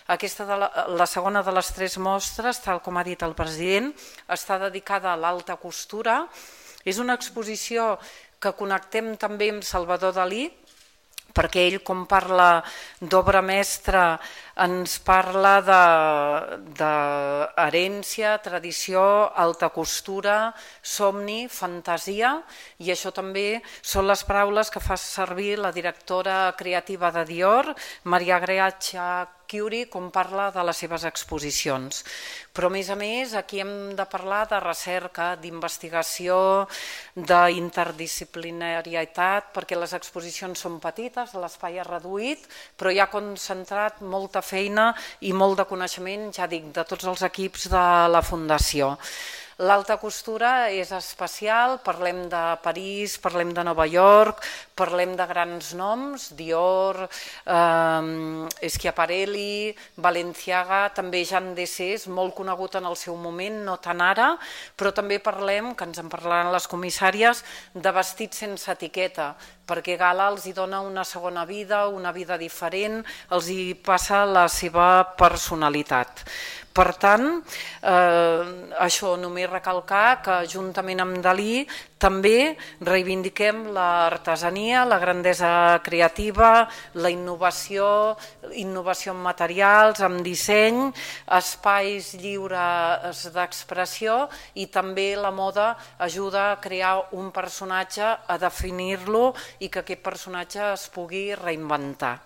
La segona de les 3 mostres, tal com ha dit el president, està dedicada a l'alta costura. És una exposició que connectem també amb Salvador Dalí, perquè ell, com parla d'obra mestra, ens parla d'herència, tradició, alta costura, somni, fantasia, i això també són les paraules que fa servir la directora creativa de Dior, Maria Greccia Chiuri, com parla de les seves exposicions. Però, a més, aquí hem de parlar de recerca, d'investigació, d'interdisciplinarietat, perquè les exposicions són petites, l'espai és reduït, però hi ha concentrat molta feina i molt de coneixement, ja dic, de tots els equips de la Fundació. L'alta costura és especial, parlem de París, parlem de Nova York, parlem de grans noms, Dior, Schiaparelli, Balenciaga, també Jean Dessès, molt conegut en el seu moment, no tant ara, però també parlem, que ens en parlaran les comissàries, de vestits sense etiqueta, perquè Gala els hi dona una segona vida, una vida diferent, els hi passa la seva personalitat. Per tant, això, només recalcar que juntament amb Dalí també reivindiquem l'artesania, la grandesa creativa, la innovació en materials, en disseny, espais lliures d'expressió, i també la moda ajuda a crear un personatge, a definir-lo i que aquest personatge es pugui reinventar.